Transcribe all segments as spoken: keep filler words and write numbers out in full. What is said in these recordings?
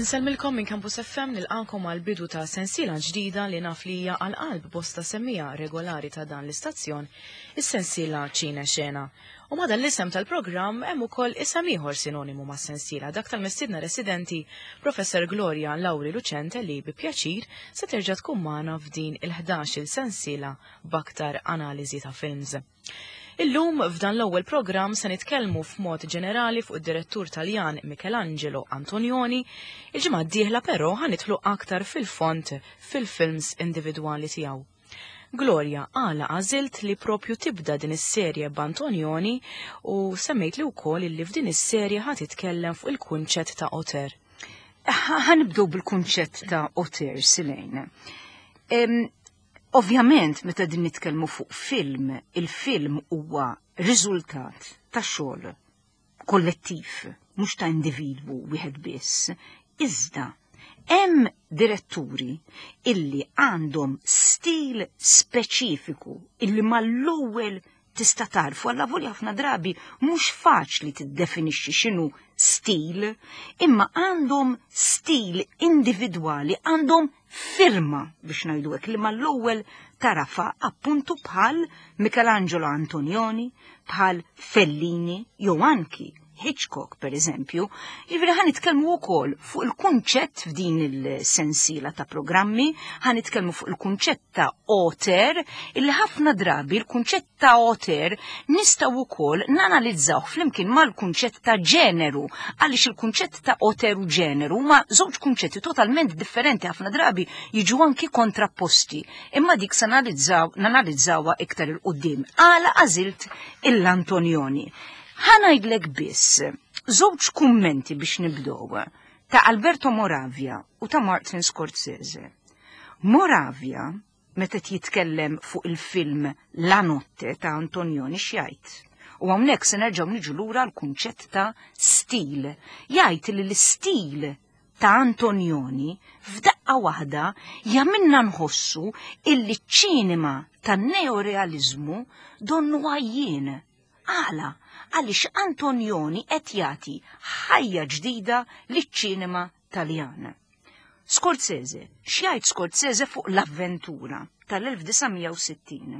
Insellmilkom minn Campus F M, nilqakom għal bidu ta' sensiela ġdida li naf li hija għal qalb bosta semmiegħa regolari ta' dan l-istazzjon, is-sensiela Ċine Xena. U ma' dan l-isem tal-programm hemm ukoll isem ieħor sinonimu ma' sensiela, dak tal-mistidna residenti, Professor Gloria Lauri Lucente, li bi pjaċir se terġa' tkun magħna f'din il-ħdax il sensiela b'aktar analiżi ta' films. Illum f'dan l-ewwel programm se nitkellmu f'mod ġenerali fuq id-direttur Taljan Michelangelo Antonioni. Il-ġimgħa d-dieħla però ħa nidħlu aktar fil-fond fil-films individwali tiegħu. Gloria, għala għażilt li propju tibda din is-serje b'Antonioni u semmejt li wkoll li f'din is-serje ħa titkellem fuq il-kunċett ta' auteur? Ħa nibdew bil-kunċett ta' auteur, Silejn. Ovvjament, meta din nitkellmu fuq film, il-film huwa riżultat ta' xogħol kollettiv, mhux ta' individwu wieħed biss. Iżda hemm diretturi illi għandhom stil speċifiku illi mal-ewwel tista' tarfu, għalla ħafna drabi mhux faċli tiddefinixxi x'inhu stil, imma għandhom stil individwali, għandhom firma, biex ngħidu hekk, li mal-ewwel tarafa, appuntu bħal Michelangelo Antonioni, bħal Fellini, jew anki Hitchcock, per eżempju. Jiġifieri ħa nitkellmu wkoll fuq il-kunċett f'din il-sensiela ta' programmi, ħa nitkellmu fuq il-kunċett ta' auteur, illi ħafna drabi il-kunċett ta' auteur nistgħu wkoll nanalizzaw flimkien mal-kunċett ta' ġeneru, għaliex il-kunċett ta' auteur u ġeneru ma żewġ kunċetti totalment differenti, ħafna drabi jiġu anki kontrapposti. Imma dik sa nanalizzawha iktar 'il quddiem. Għala għażilt l-Antonioni? Ħa ngħidlek biss żewġ kummenti biex nibdow ta' Alberto Moravia u ta' Martin Scorsese. Moravia, meta jitkellem fuq il-film La Notte ta' Antonioni, x'jgħid? U hawnhekk se nerġgħu niġu lura l-kunċett ta' stil. Jgħid li l-istil ta' Antonioni f'daqqa waħda jagħmilna nħossu illi ċ-ċinema tan-neorealizmu donnu għajjien. Għala? Għaliex Antonioni qed jagħti ħajja ġdida liċ-ċinema Taljan. Scorsese, x'jgħid Scorsese fuq L-Avventura tal-elf disa' mija u sittin?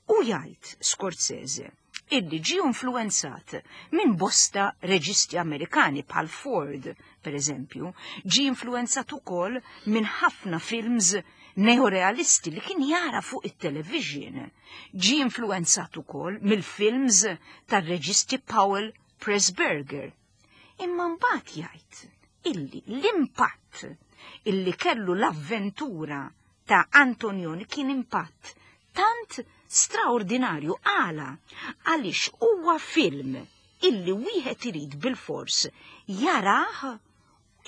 U jgħid Scorsese illi ġi influenzat minn bosta reġisti Amerikani bħal Ford, per eżempju, ġi influenzat ukoll minn ħafna films neorealisti li kien jara fuq it-television. Ġi influenzat ukoll mill-films tar-reġisti Powell Pressburger. Imma mbagħad jgħid illi l-impatt illi kellu L-Avventura ta' Antonioni kien impatt tant straordinarju. Għala? Għaliex huwa film illi wieħed irid bil-fors jarah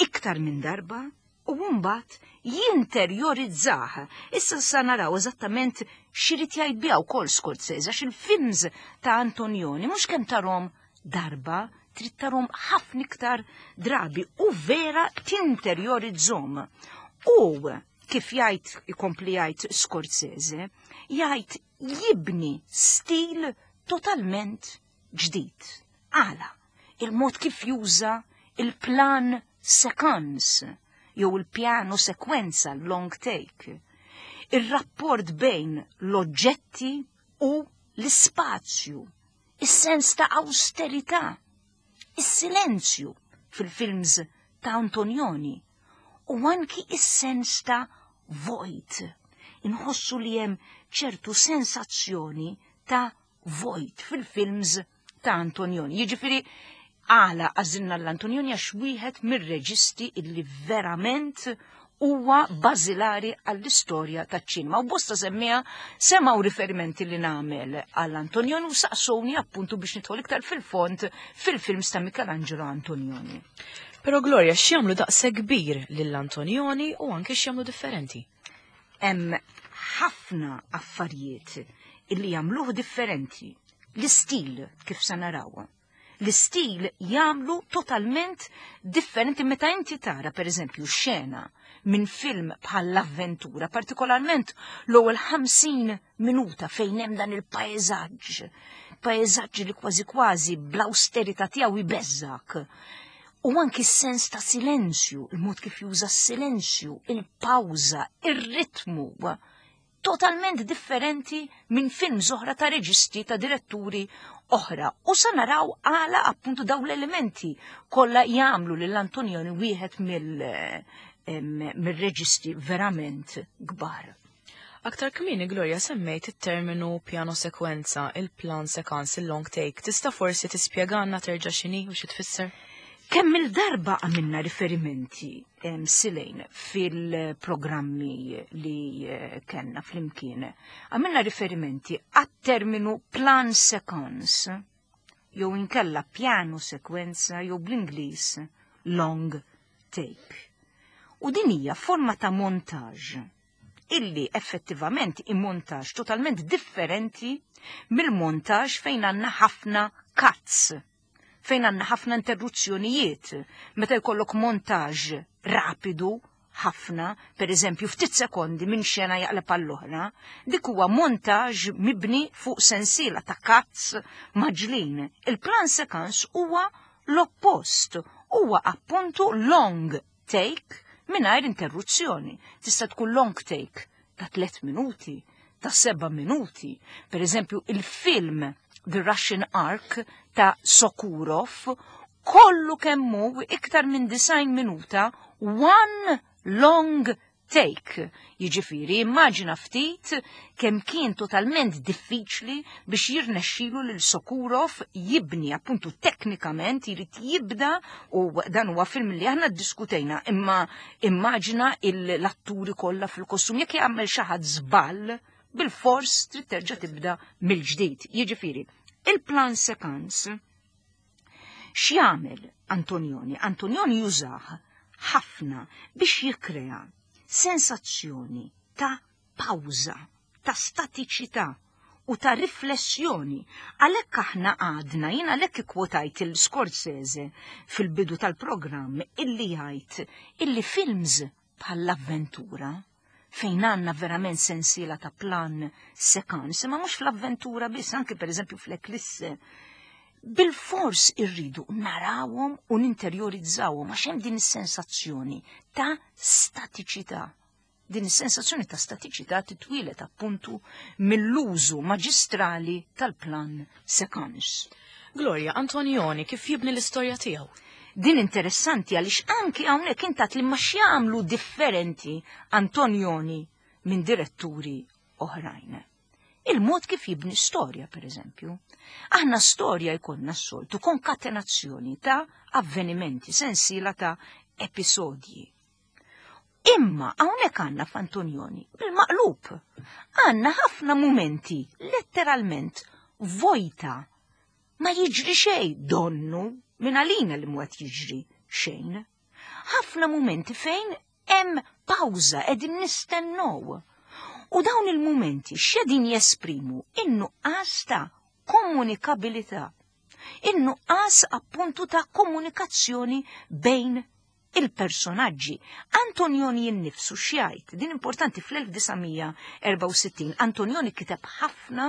iktar minn darba u mbagħad jinterjorizzah. Issa sa naraw eżattament x'irid jgħid biha wkoll Scorsese, għax il-films ta' Antonioni mhux kemm tarahom darba, trid tarahom ħafna iktar drabi u vera tinterjorizzhom. U kif jgħid, ikompli jgħid Scorsese, jgħid jibni stil totalment ġdid. Għala? Il-mod kif juża il-plan séquence jew il-piano sekwenza, long take. Il-rapport bejn l-oġġetti u l-spazju, is-sens ta' austerità, is-silenzju fil-films ta' Antonioni u anki is-sens ta' vojt. Inħossu li hemm ċertu sensazzjoni ta' vojt fil-films ta' Antonioni. Jiġifieri għala għażilna l-Antonioni? Għax wieħed mir-reġisti illi verament huwa bażilari għall-istorja taċ-ċinema. U bosta semmiegħa semgħu riferimenti li nagħmel għall-Antonioni u saqsowni appuntu biex nidħol iktar fil-fond fil-films ta' Michelangelo Antonioni. Però Gloria, x'jagħmlu daqshekk kbir lill-Antonioni u anke x'jagħmlu differenti? Hemm ħafna affarijiet illi jagħmluh differenti. L-istil, kif sa naraw. L-istil jagħmlu totalment differenti. Meta inti tara, per eżempju, xena minn film bħal L-Avventura, partikolarment l-ewwel ħamsin minuta fejn hemm dan il-pajjeżaġġ, pajjeżaġġ li kważi kważi bl-austerità tiegħu jbeżżak. U anki s-sens ta' silenzju, il-mod kif juża s-silenzju, il-pawża, ir-ritmu, totalment differenti minn films oħra ta' reġisti, ta' diretturi oħra. U sa naraw għala appuntu dawn l-elementi kollha jagħmlu lil Antonioni wieħed mill-reġisti verament kbar. Aktar kmieni, Gloria, semmejt it-terminu piano sekwenza, il-plan séquence, il-long take. Tista' forsi tispjegana terġa' x'inhi u xi tfisser? Kemm il-darba għamilna riferimenti silejn fil-programmi li eh, kellna flimkien, għamilna riferimenti għat-terminu plan séquence, jew inkella piano sekwenza, jew bl-Ingliż long take. U din hija forma ta' montaġ illi effettivament i-montaġ totalment differenti mill-montaġ fejn għandna ħafna cuts, fejn għandna ħafna interruzzjonijiet. Meta jkollok montaġ rapidu ħafna, per eżempju ftit sekondi minn xena jaqleb għall-oħra, dik huwa montaġ mibni fuq sensiela ta' cuts mgħaġġlin. Il-plan séquence huwa l-oppost, huwa appuntu long take mingħajr interruzzjoni. Tista' tkun long take ta' tliet minuti, ta' seba' minuti. Per eżempju, il-film The Russian Ark ta' Sokurov kollu kemmu iktar minn disgħin minuta one long take. Jiġifieri, immaġina ftit kemm kien totalment diffiċli biex jirnexxilu lil Sokurov jibni appuntu teknikament jrid jibda, u dan huwa film li aħna ddiskutejna, imma immaġina l-atturi kollha fil-kostum, jekk jagħmel xi ħadd żball, bil-fors trid terġa' tibda mill-ġdid. Jiġifieri, il-plan séquence x'jagħmel Antonioni? Antonioni jużah ħafna biex jikkrea sensazzjoni ta' pawża, ta' statiċità u ta' riflessjoni. Għalhekk aħna għadna, jien għalhekk ikkwotajt il-Scorsese fil-bidu tal-programm illi jgħid illi films bħall-avventura fejn għandna verament sensiela ta' plan séquence, ma mhux fl-avventura biss, anke per eżempju fl-Eclisse, bil-fors irridu narawhom u ninterjorizzawhom għax hemm din is-sensazzjoni ta' statiċità. Din is-sensazzjoni ta' statiċità titwieled appuntu mill-użu maġistrali tal-plan séquence. Gloria, Antonioni kif jibni l-istorja tiegħu? Din interessanti għaliex anki hawnhekk intat li ma x'jagħmlu differenti Antonioni minn diretturi oħrajn. Il-mod kif jibni storja, per eżempju. Aħna storja jkollna s-soltu konkatenazzjoni ta' avvenimenti, sensiela ta' episodji. Imma hawnhekk għandna f'Antonioni bil-maqlub. Għandna ħafna momenti letteralment vojta. Ma jiġri xejn, donnu minn għalina li mhu qed jiġri xejn. Ħafna momenti fejn hemm pawża, qegħdin nistennew. U dawn il-momenti x'qegħdin jesprimu? In-nuqqas ta' komunikabilità. In-nuqqas appuntu ta' komunikazzjoni bejn il-personaġġi. Antonioni jinnifsu x'jgħid, din importanti, fl-elf disa' mija erbgħa u sittin Antonioni kiteb ħafna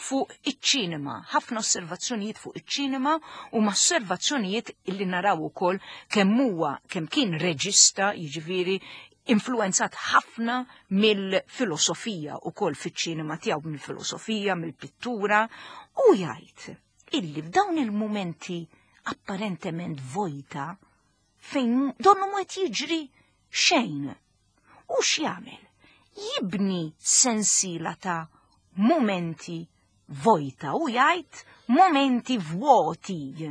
fuq iċ-ċinema, ħafna osservazzjonijiet fuq iċ-ċinema u ma osservazzjonijiet illi naraw ukoll kemm huwa kemm kien reġista, jiġifieri influenzat ħafna mill-filosofija ukoll fiċ-ċinema tiegħu, mill-filosofija, mill-pittura, u jgħid illi f'dawn il-mumenti apparentement vojta fejn donnu mhu qed jiġri xejn. U x'jagħmel? Jibni sensiela ta' momenti vojta u jgħid momenti vuoti.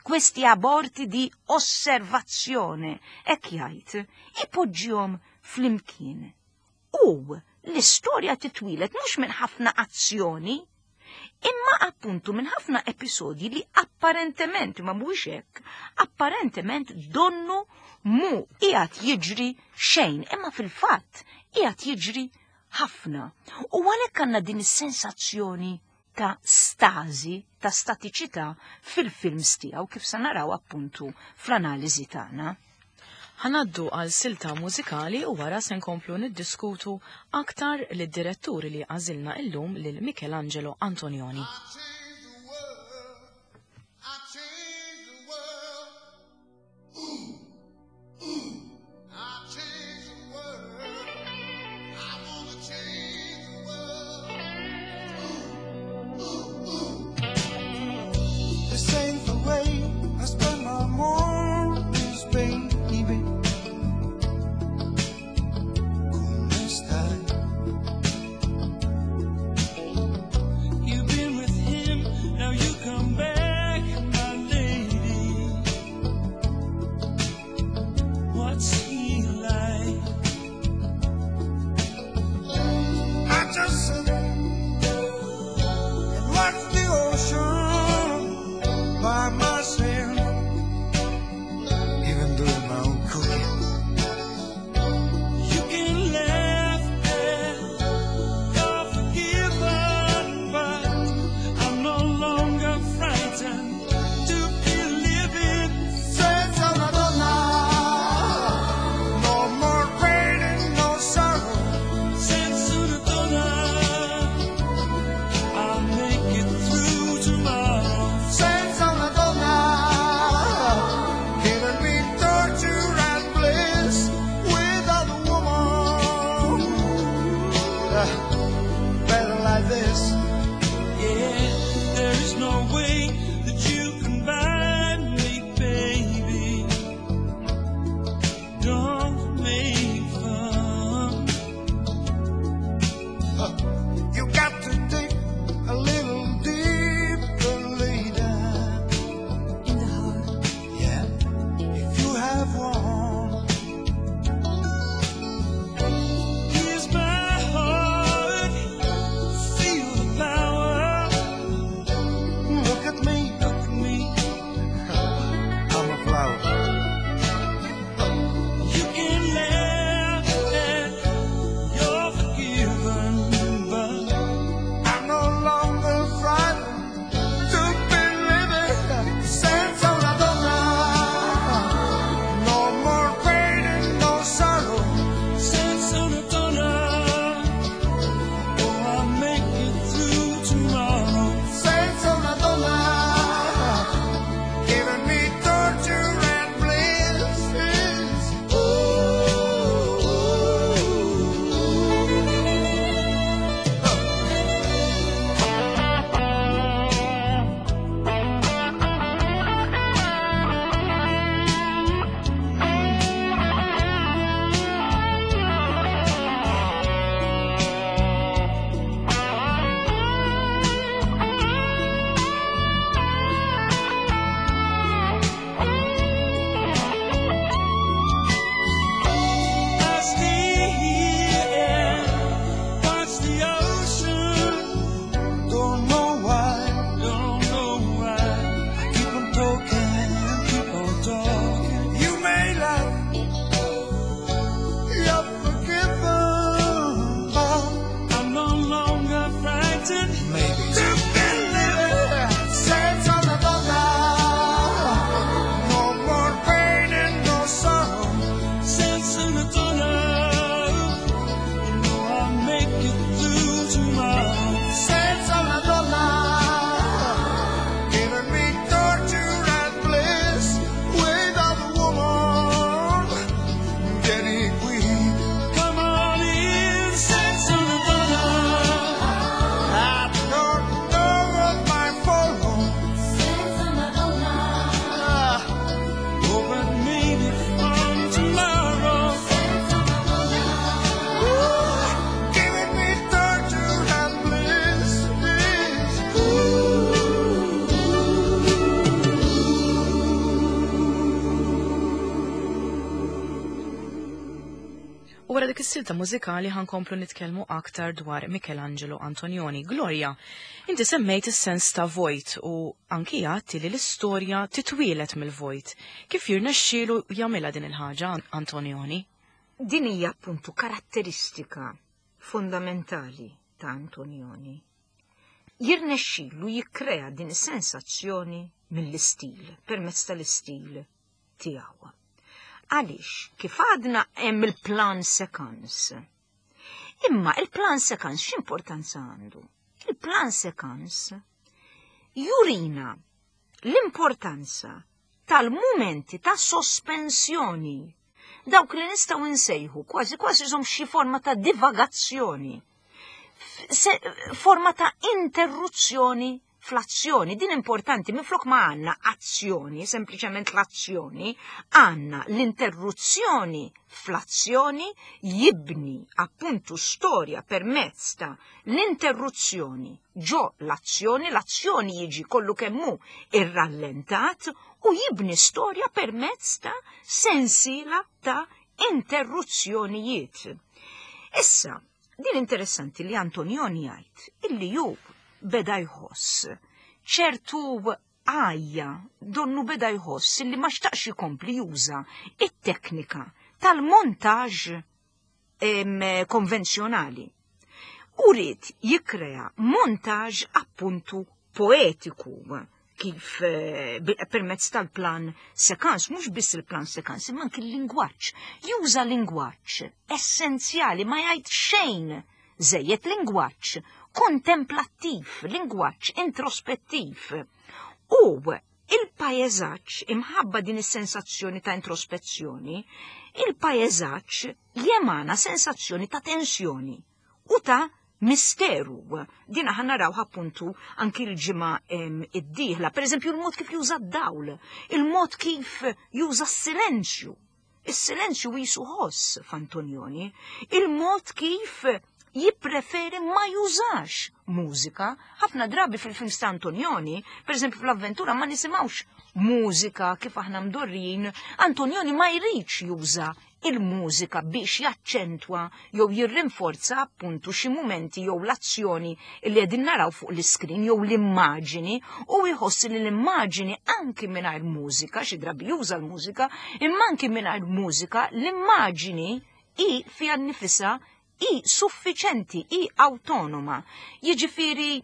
Questi aborti di osservazione, hekk jgħid, ipoġġihom flimkien. U l-istorja titwieled mhux minn ħafna azzjoni, imma appuntu minn ħafna episodji li apparentement, ma mhuwiex hekk, apparentement donnu mhu qiegħed jiġri xejn, imma fil-fatt qiegħed jiġri ħafna. U għalhekk għandna din is-sensazzjoni ta' stażi, ta' statiċità fil-films tiegħu, kif sa naraw appuntu fl-analiżi tagħna. Ħa ngħaddu għal silta mużikali u wara se nkomplu niddiskutu aktar lid-diretturi li għażilna illum, lil Michelangelo Antonioni. I changed the world. I changed the world. is-silta mużikali ħa nkomplu nitkellmu aktar dwar Michelangelo Antonioni. Gloria, inti semmejt is-sens ta' vojt u anki għedti li l-istorja titwielet mill-vojt. Kif jirnexxielu jagħmilha din il-ħaġa Antonioni? Din hija appuntu karatteristika fondamentali ta' Antonioni. Jirnexxielu jikkrea din is-sensazzjoni mill-istil, permezz tal-istil tiegħu. Għaliex, kif għadna hemm il-plan séquence. Imma il-plan séquence x'importanza għandu? Il-plan séquence jurina l-importanza tal-mumenti ta' sospensjoni, dawk li nistgħu nsejħu kważi kważi żom xi forma ta' divagazzjoni, forma ta' interruzzjoni fl-azzjoni. Din importanti, minflok ma għandna azzjoni, sempliċement l-azzjoni, għandna l-interruzzjoni fl-azzjoni jibni appuntu storja permezz ta' l-interruzzjoni ġo l-azzjoni, l-azzjoni jiġi kollu kemmu irrallentat u jibni storja permezz ta' sensiela ta' interruzzjonijiet. Issa, din interessanti li Antonioni jgħid illi ju beda jħoss ċertu għajja, donnu beda jħoss illi ma xtaqx ikompli juża it-teknika tal-montaġ konvenzjonali. U ried jikkrea montaġ appuntu poetiku kif permezz tal-plan séquence, mhux biss il-plan séquence, imma anki l-lingwaġġ. Juża lingwaġġ essenzjali, ma jgħid xejn żejjed, lingwaġġ kontemplattiv, lingwaġġ introspettiv. U il-pajeżaġġ, imħabba din is-sensazzjoni ta' introspezzjoni, il-pajeżaġġ jemana sensazzjoni ta' tensjoni u ta' misteru. Din aħna naraw appuntu anki l-ġimgħa id-dieħla. Per eżempju, il-mod kif juża d-dawl, il-mod kif juża s-silenzju. Is-silenzju jisu ħoss f'Antonioni, il-mod kif jippreferi ma jużax mużika. Ħafna drabi fil-films ta' Antonioni, per eżempju fl-avventura, ma nisimgħux mużika kif aħna mdorrin. Antonioni ma jridx juża il-mużika biex jaċċentwa jew jirrinforza appuntu xi mumenti jew l-azzjoni li qegħdin naraw fuq l-iskrin jew l-immaġini, u jħoss li l-immaġini anki mingħajr mużika, xi drabi juża l-mużika, imma anki mingħajr mużika l-immaġini hi fiha nnifisha hi suffiċenti, hi awtonoma. Jiġifieri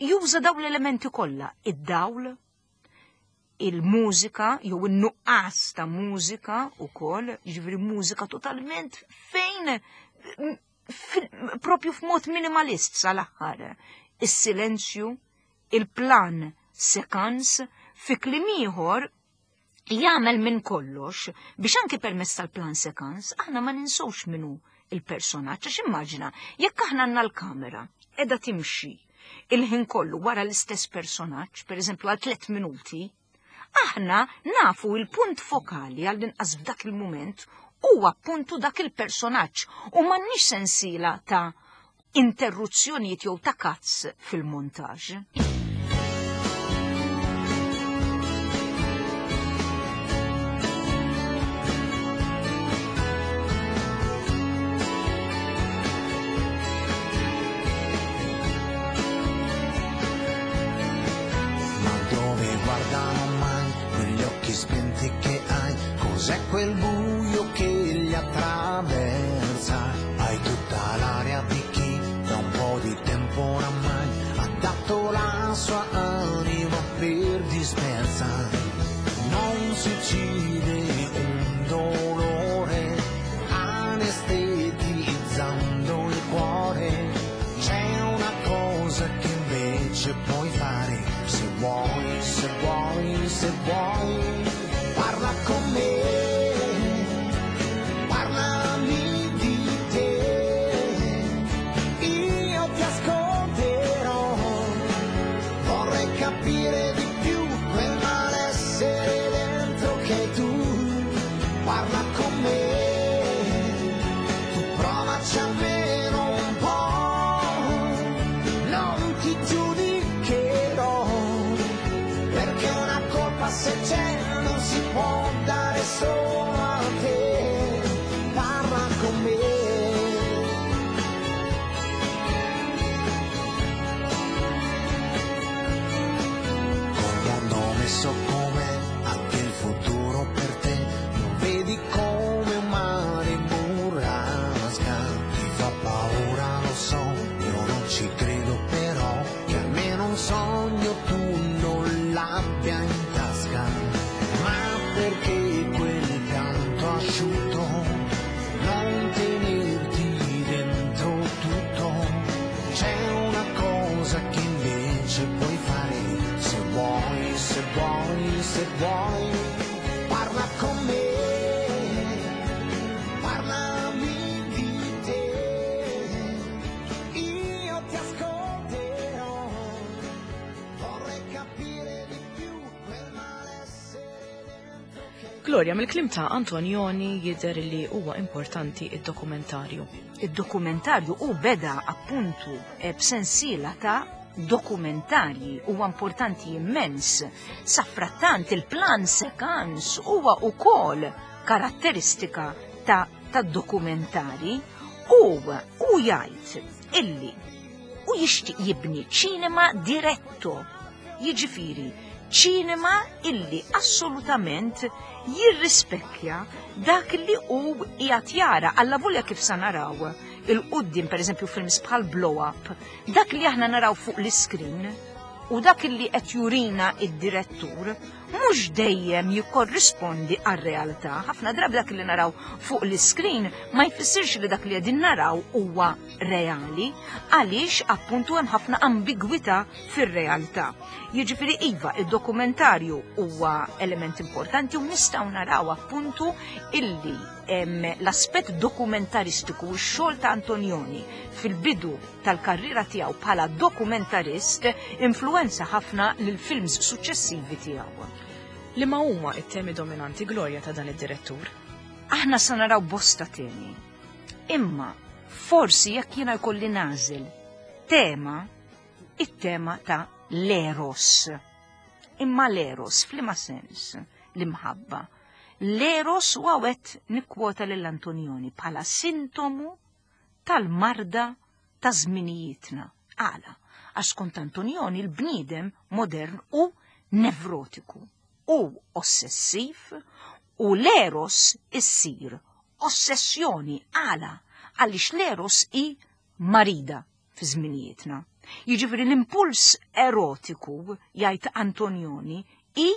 juża dawn l-elementi kollha, id-dawl, il-mużika jew in-nuqqas ta' mużika wkoll, jiġifieri mużika totalment fejn propju f'mod minimalist sal-aħħar. Is-silenzju, il-plan séquence, fi kliem ieħor jagħmel minn kollox biex anke permezz tal-plan séquence aħna ma ninsewx minnu il-personaġġ. Għax immaġina jekk aħna għandna l-kamera qiegħda timxi il-ħin kollu wara l-istess personaġġ, per eżempju għal tliet minuti, aħna nafu il-punt fokali għall-inqas f'dak il-mument huwa appuntu dak il-personaġġ u m'għandniex sensiela ta' interruzzjonijiet jew ta' cuts fil-montaġġ. Spenti che hai, cos'è quel buio che li attraversa? Hai tutta l'aria di chi da un po' di tempo oramai ha dato la Gloria, mill-kliem ta' Antonioni jidher li huwa importanti id-dokumentarju. Id-dokumentarju u beda appuntu eh, b'sensiela ta' dokumentarji huwa importanti immens. Sadanittant il-plan séquence huwa ukoll karatteristika ta' ta' dokumentari u u jgħid illi u jixtieq jibni ċinema diretto. Jiġifieri ċinema illi assolutament jirrispekkja dak li hu qiegħed jara allavolja kif sa naraw 'il quddiem, per eżempju, films bħal Blow Up, dak li aħna naraw fuq l-iskrin u dak li qed jurina id-direttur mhux dejjem jikkorrispondi għar-realtà. Ħafna drabi dak li naraw fuq l-iskrin ma jfissirx li dak li qegħdin naraw huwa reali, għaliex appuntu hemm ħafna ambigwità fir-realtà. Jiġifieri iva, id-dokumentarju huwa element importanti u nistgħu naraw appuntu illi l-aspett dokumentaristiku u x-xogħol ta' Antonioni fil-bidu tal-karriera tiegħu bħala dokumentarist influenza ħafna lil films suċċessivi tiegħu. Liema huma it-temi dominanti, Gloria, ta' dan id-direttur? Aħna sa naraw bosta temi. Imma forsi jekk jiena jkolli nagħżel tema, it-tema ta' l-eros. Imma l-eros f'liema sens? L-imħabba. L-eros u hawnhekk nikkwota lill-Antonioni bħala sintomu tal-marda ta' żminijietna. Għala, għax kont Antonioni l-bniedem modern u nevrotiku u ossessiv u l-eros issir ossessjoni. Għala? Għaliex l-eros i marida fi żminijietna. Jiġifieri l-impuls erotiku, jgħid Antonioni, i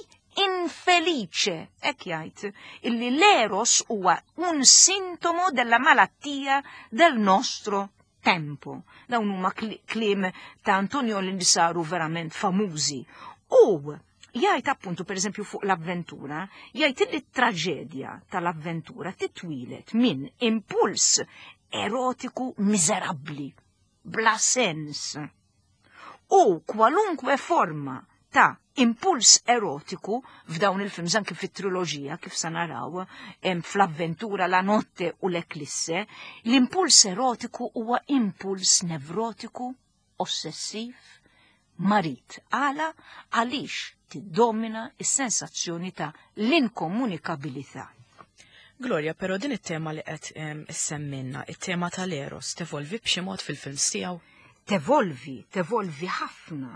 infelice, hekk jgħid, illi l-eros huwa un sintomo della malattia del nostro tempo. Dawn huma kliem ta' Antonioni li saru verament famużi. U jgħid appuntu, per eżempju, fuq l-avventura, jgħid li traġedja tal-avventura titwilet minn impuls erotiku miżerabbli, bla sens. U kwalunkwe forma ta' impuls erotiku f'dawn il-films, anke fit-triloġija kif sa naraw fl-avventura, La notte u l-Eklisse, l-impuls erotiku huwa impuls nevrotiku, ossessiv, marid. Għala? Għaliex tiddomina is-sensazzjoni ta' l-inkomunikabilità. Gloria, però din it-tema li qed issemmilna, it-tema tal-eros, tevolvi b'xi mod fil-films tiegħu? Tevolvi, tevolvi ħafna.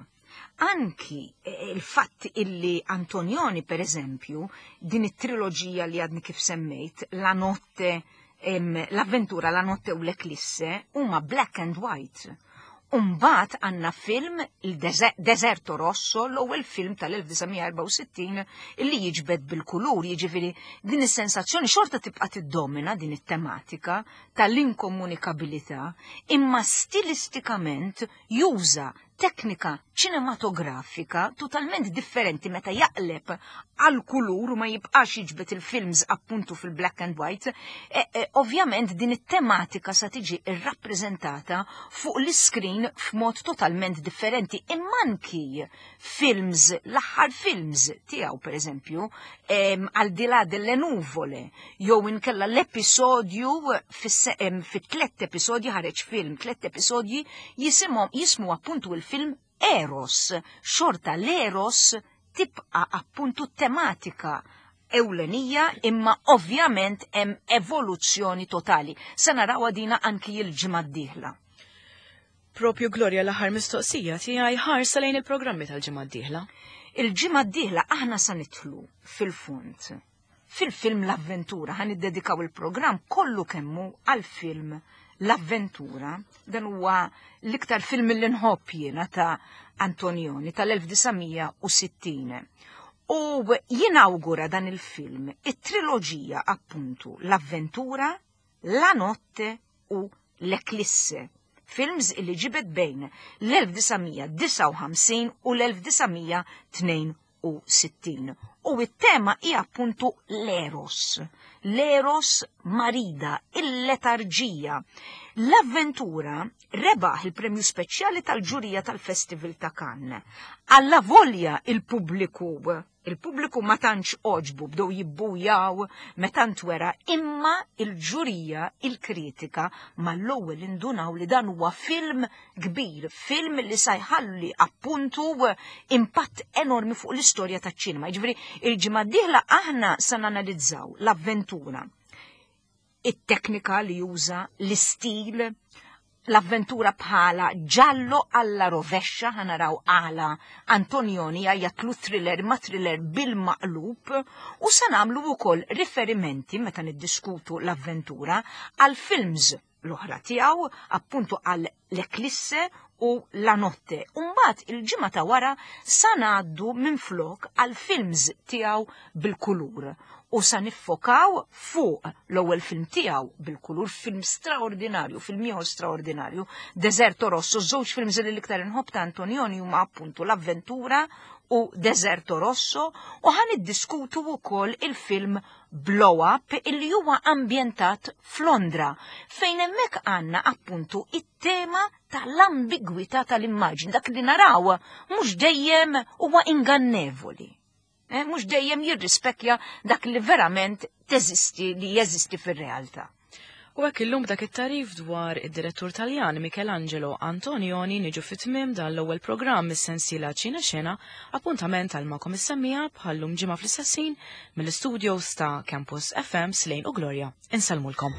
Anki eh, il-fatt illi Antonioni, per eżempju, din it-triloġija li għadni kif semmejt, La notte, l-avventura, La notte u l-Eklisse, huma black and white. Umbagħad għandna film il-Deserto Rosso, l-ewwel film tal-elf disa' mija erbgħa u sittin illi jiġbed bil-kulur, jiġifieri din is-sensazzjoni xorta tibqa' tiddomina din it-tematika tal-inkomunikabilità, imma stilistikament juża teknika ċinematografika totalment differenti meta jaqleb għal kulur u ma jibqax jiġbed il-films appuntu fil-black and white, e, e, ovvjament din it-tematika sa tiġi irrappreżentata fuq l-screen f'mod totalment differenti. Imma anki films, l-aħħar films tiegħu, per eżempju, Al di là delle nuvole, jew inkella l-episodju fit tlet episodji ħareġ film, tlet episodji jisimhom jismu appuntu il-film Eros. Xorta l-Eros tibqa appuntu tematika ewlenija, imma ovvjament hemm evoluzzjoni totali. Se naraw dina anki il-ġimgħa d-dieħla. Propju, Gloria, l-aħħar mistoqsija tiegħi, ħarsa lejn il-programmi tal-ġimgħa d-dieħla. Il-ġimgħa d-dieħla aħna sa nidħlu fil-fond fil-film L-Avventura, ħa niddedikaw il-programm kollu kemmu għal-film L-Avventura. Dan huwa l-iktar film li nħobb jiena ta' Antonioni tal-elf disa' mija u sittin. U jinawgura dan il-film it-triloġija appuntu L-Avventura, La Notte u L-Eklisse. Films illi ġibed bejn l-elf disa' mija disgħa u ħamsin u l-elf disa' mija tnejn u sittin. U it-tema hija appuntu l-eros. L-eros marida, il-letarġija. L-Avventura rebaħ il-premju speċjali tal-ġurija tal-Festival ta' Cannes. Allavolja il-pubbliku Il-pubbliku ma tantx għoġbu, bdew jibbujaw meta ntwera, imma il-ġurija, il-kritika mal-ewwel indunaw li dan huwa film kbir, film li sa jħalli appuntu impatt enormi fuq l-istorja taċ-ċinema. Jiġifieri il-ġimgħa d-dieħla aħna sa nanalizzaw l-avventura, it-teknika li juża, l-istil, l-avventura bħala giallo alla rovescia, ħa naraw għala Antonioni jgħajjatlu thriller ma thriller bil-maqlub, u sa nagħmlu wkoll riferimenti meta niddiskutu l-avventura għal films l-oħra tiegħu, appuntu għal L'Eclisse u La Notte. Umbagħad il-ġimgħa ta' wara sa ngħaddu minflok għal films tiegħu bil-kulur u sa niffokaw fuq l-ewwel film tiegħu bil-kulur, film straordinarju, film ieħor straordinarju, Deserto Rosso. Żewġ films li l-iktar inħobb ta' Antonioni huma appuntu l-Avventura u Deserto Rosso, u ħa niddiskutu wkoll il-film Blow Up, illi huwa ambjentat f'Londra, fejn hemmhekk għandna appuntu it-tema tal-ambigwità tal-immaġni, dak li naraw mhux dejjem huwa ingannevoli. Eh, mhux dejjem jirrispekja dak li verament teżisti, li jeżisti fir-realtà. U hekk illum dak it-tarif dwar id-direttur Taljan Michelangelo Antonioni niġu fit-tmiem dan l-ewwel programm mis-sensiela Ċina Xena, appuntament għal magħkom is-semmiegħa bħallum ġimgħa fl-istess ħin mill-istudios ta' Campus F M Slane u Gloria. Insellmulkom.